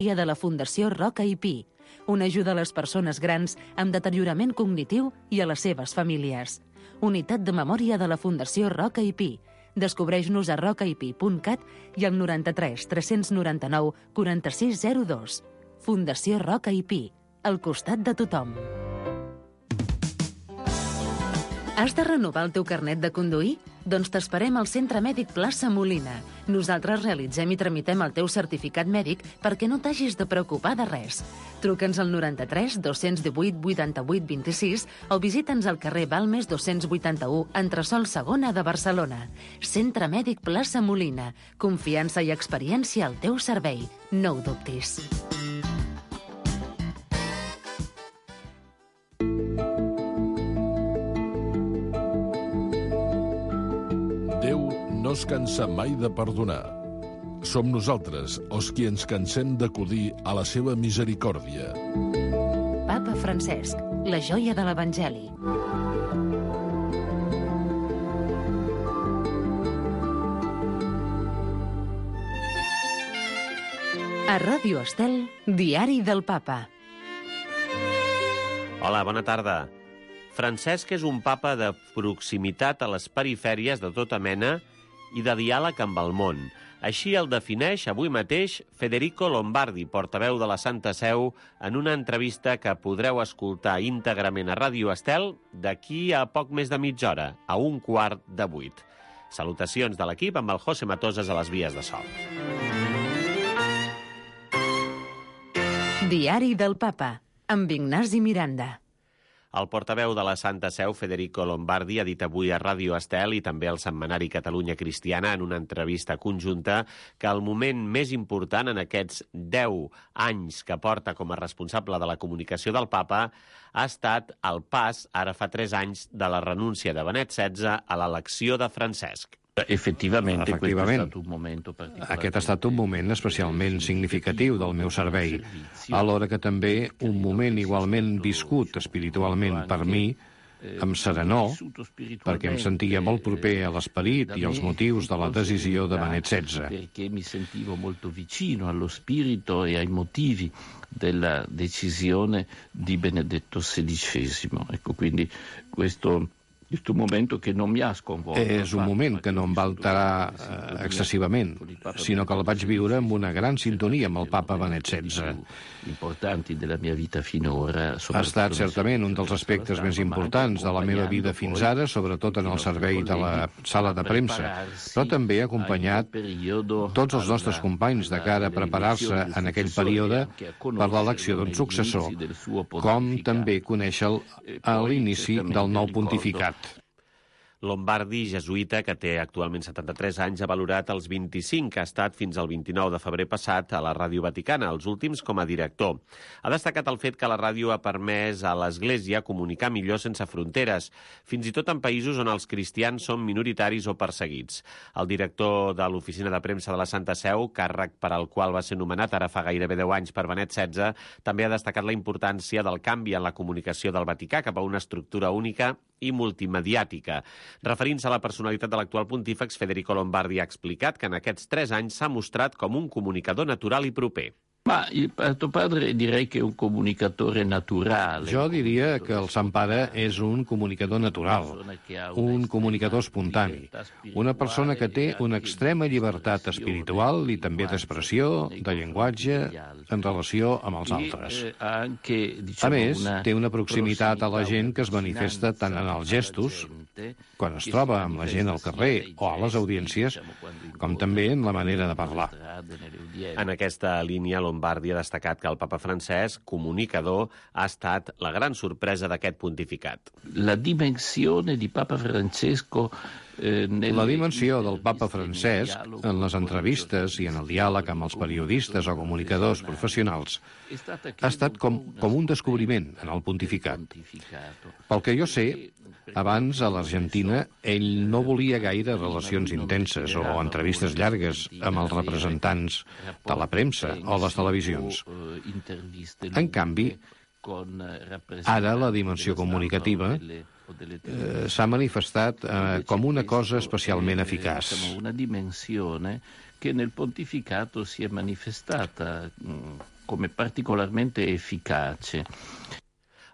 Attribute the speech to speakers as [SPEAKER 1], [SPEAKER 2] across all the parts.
[SPEAKER 1] de la Fundació Roca i Pi, una ajuda a les persones grans amb deteriorament cognitiu i a les seves famílies. Unitat de memòria de la Fundació Roca i Pi. Descobreix-nos a rocaipi.cat i al 93 399 4602. Fundació Roca i Pi, al costat de tothom. Has de renovar el teu carnet de conduir? Doncs t'esperem al Centre Mèdic Plaça Molina. Nosaltres realitzem i tramitem el teu certificat mèdic perquè no t'hagis de preocupar de res. Truca'ns al 93 218 88 26 o visita'ns al carrer Balmes 281, entresòl segona de Barcelona. Centre Mèdic Plaça Molina. Confiança i experiència al teu servei. No ho dubtis.
[SPEAKER 2] No es cansa mai de perdonar. Som nosaltres els qui ens cansem d'acudir a la seva misericòrdia.
[SPEAKER 1] Papa Francesc, la joia de l'Evangeli. A Ràdio Estel, Diari del Papa.
[SPEAKER 3] Hola, bona tarda. Francesc és un papa de proximitat a les perifèries de tota mena i de diàleg amb el món. Així el defineix avui mateix Federico Lombardi, portaveu de la Santa Seu, en una entrevista que podreu escoltar íntegrament a Ràdio Estel d'aquí a poc més de mitja hora, a 7:15. Salutacions de l'equip amb el José Matoses a les vies de so.
[SPEAKER 1] Diari del Papa, amb Ignasi Miranda.
[SPEAKER 3] El portaveu de la Santa Seu, Federico Lombardi, ha dit avui a Ràdio Estel i també al setmanari Catalunya Cristiana en una entrevista conjunta que el moment més important en aquests 10 anys que porta com a responsable de la comunicació del Papa ha estat el pas, ara fa 3 anys, de la renúncia de Benet XVI a l'elecció de Francesc.
[SPEAKER 4] Efectivament, aquest ha estat un moment especialment significatiu del meu servei, alhora que també un moment igualment viscut espiritualment per mi, amb serenor, perquè em sentia molt proper a l'esperit i als motius de la decisió de Benet XVI.
[SPEAKER 5] Perché mi sentivo molto vicino allo spirito e ai motivi della decisione di Benedetto XVI. Ecco, quindi questo és un moment que no m'ha sconvolto.
[SPEAKER 4] És un moment que no em va alterar excessivament, sinó que el vaig viure amb una gran sintonia amb el papa Benet XVI. Ha estat certament un dels aspectes més importants de la meva vida fins ara, sobretot en el servei de la sala de premsa, però també ha acompanyat tots els nostres companys de cara a preparar-se en aquell període per l'elecció d'un successor, com també conèixer l'inici del nou pontificat.
[SPEAKER 3] Lombardi, jesuïta, que té actualment 73 anys, ha valorat els 25 que ha estat fins al 29 de febrer passat a la Ràdio Vaticana, els últims com a director. Ha destacat el fet que la ràdio ha permès a l'Església comunicar millor sense fronteres, fins i tot en països on els cristians són minoritaris o perseguits. El director de l'Oficina de Premsa de la Santa Seu, càrrec per al qual va ser nomenat ara fa gairebé 10 anys per Benet XVI, també ha destacat la importància del canvi en la comunicació del Vaticà cap a una estructura única i multimediàtica. Referint-se a la personalitat de l'actual pontífex, Federico Lombardi ha explicat que en aquests 3 anys s'ha mostrat com un comunicador natural i proper.
[SPEAKER 5] Ma il tuo padre direi che è un comunicatore naturale.
[SPEAKER 4] Jo diria que el Sant Pare és un comunicador natural, un comunicador espontani, una persona que té una extrema llibertat espiritual i també d'expressió, de llenguatge, en relació amb els altres. A més, té una proximitat a la gent que es manifesta tant en els gestos, quan es troba amb la gent al carrer o a les audiències, com també en la manera de parlar.
[SPEAKER 3] En aquesta línia, Lombardi ha destacat que el papa Francesc, comunicador, ha estat la gran sorpresa d'aquest pontificat.
[SPEAKER 5] La dimensione di Papa Francesco
[SPEAKER 4] La dimensió del papa Francesc en les entrevistes i en el diàleg amb els periodistes o comunicadors professionals ha estat com un descobriment en el pontificat. Pel que jo sé, abans a l'Argentina ell no volia gaire relacions intenses o entrevistes llargues amb els representants de la premsa o les televisions. En canvi, ara la dimensió comunicativa s'ha manifestat com una cosa especialment eficaç.
[SPEAKER 5] Una dimensione che nel pontificato si è manifestata come particolarmente efficace.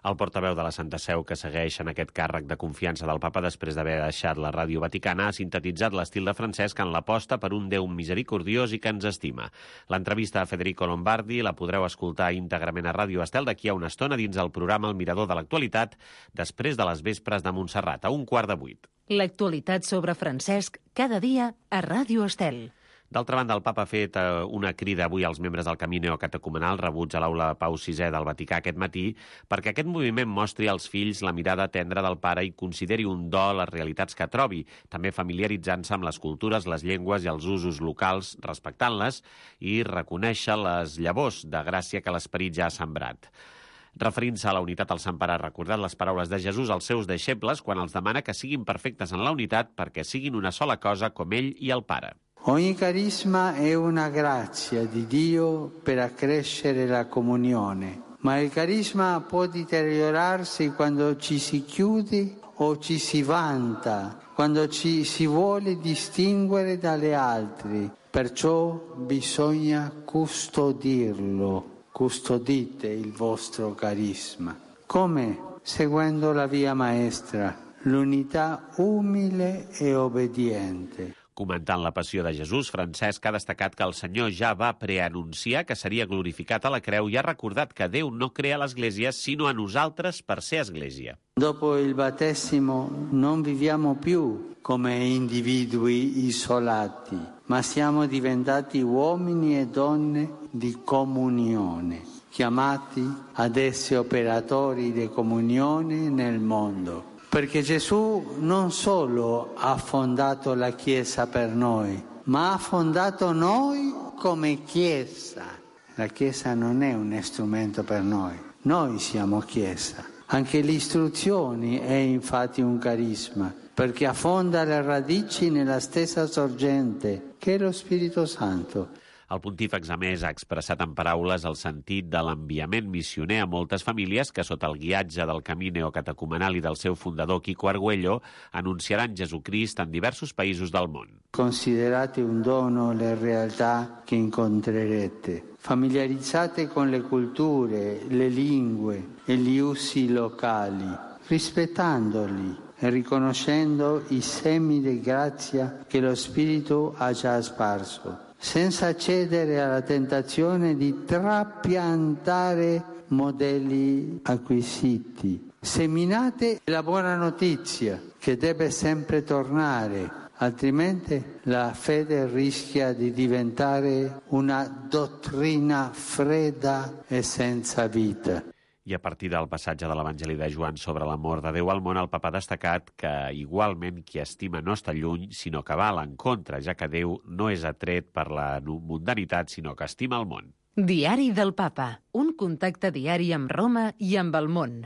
[SPEAKER 3] El portaveu de la Santa Seu, que segueix en aquest càrrec de confiança del papa després d'haver deixat la Ràdio Vaticana, ha sintetitzat l'estil de Francesc en l'aposta per un Déu misericordiós i que ens estima. L'entrevista a Federico Lombardi la podreu escoltar íntegrament a Ràdio Estel d'aquí a una estona dins el programa El Mirador de l'Actualitat, després de les vespres de Montserrat, a 7:15.
[SPEAKER 1] L'actualitat sobre Francesc, cada dia a Ràdio Estel.
[SPEAKER 3] D'altra banda, el papa ha fet una crida avui als membres del camí neocatecumenal rebuts a l'aula Pau VI del Vaticà aquest matí perquè aquest moviment mostri als fills la mirada tendra del pare i consideri un do les realitats que trobi, també familiaritzant-se amb les cultures, les llengües i els usos locals, respectant-les i reconèixer les llavors de gràcia que l'esperit ja ha sembrat. Referint-se a la unitat, el Sant Pare ha recordat les paraules de Jesús als seus deixebles quan els demana que siguin perfectes en la unitat perquè siguin una sola cosa com ell i el Pare.
[SPEAKER 6] Ogni carisma è una grazia di Dio per accrescere la comunione, ma il carisma può deteriorarsi quando ci si chiude o ci si vanta, quando ci si vuole distinguere dalle altre. Perciò bisogna custodirlo. Custodite il vostro carisma. Come? Seguendo la via maestra, l'unità umile e obbediente.
[SPEAKER 3] Comentant la passió de Jesús, Francesc ha destacat que el Senyor ja va preanunciar que seria glorificat a la creu i ha recordat que Déu no crea l'Església sinó a nosaltres per ser Església.
[SPEAKER 6] Dopo il battesimo non viviamo più come individui isolati, ma siamo diventati uomini e donne di comunione, chiamati ad essere operatori di comunione nel mondo. Perché Gesù non solo ha fondato la Chiesa per noi, ma ha fondato noi come Chiesa. La Chiesa non è un strumento per noi siamo Chiesa. Anche l'istruzione è infatti un carisma, perché affonda le radici nella stessa sorgente, che è lo Spirito Santo.
[SPEAKER 3] El pontífex, a més, ha expressat en paraules el sentit de l'enviament missioner a moltes famílies que, sota el guiatge del camí neocatecumenal i del seu fundador, Quico Argüello, anunciaran Jesucrist en diversos països del món.
[SPEAKER 6] Considerate un dono le realtà che incontrerete. Familiarizzate con le culture, le lingue e gli usi locali, rispettandoli e riconoscendo i semi di grazia che lo Spirito ha già sparso, senza cedere alla tentazione di trapiantare modelli acquisiti. Seminate la buona notizia che deve sempre tornare, altrimenti la fede rischia di diventare una dottrina fredda e senza vita.
[SPEAKER 3] I a partir del passatge de l'Evangeli de Joan sobre l'amor de Déu al món, el papa ha destacat que igualment qui estima no està lluny, sinó que va a l'encontre, ja que Déu no és atret per la mundanitat, sinó que estima el món.
[SPEAKER 1] Diari del Papa, un contacte diari amb Roma i amb el món.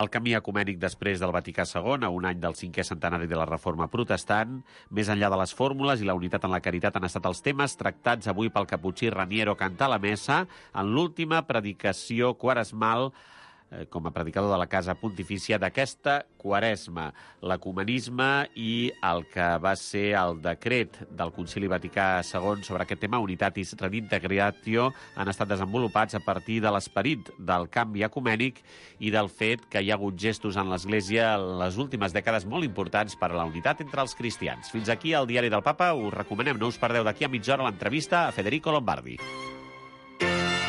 [SPEAKER 3] El camí ecumènic després del Vaticà II, a un any del 5è centenari de la Reforma Protestant, més enllà de les fórmules i la unitat en la caritat han estat els temes tractats avui pel caputxí Raniero Cantà a la messa en l'última predicació quaresmal com a predicador de la Casa Pontifícia d'aquesta quaresma, l'ecumenisme i el que va ser el decret del Concili Vaticà II sobre aquest tema, Unitatis Redintegratio, han estat desenvolupats a partir de l'esperit del canvi ecumènic i del fet que hi ha hagut gestos en l'Església en les últimes dècades molt importants per a la unitat entre els cristians. Fins aquí el Diari del Papa. Us recomanem, no us perdeu d'aquí a mitja hora l'entrevista a Federico Lombardi.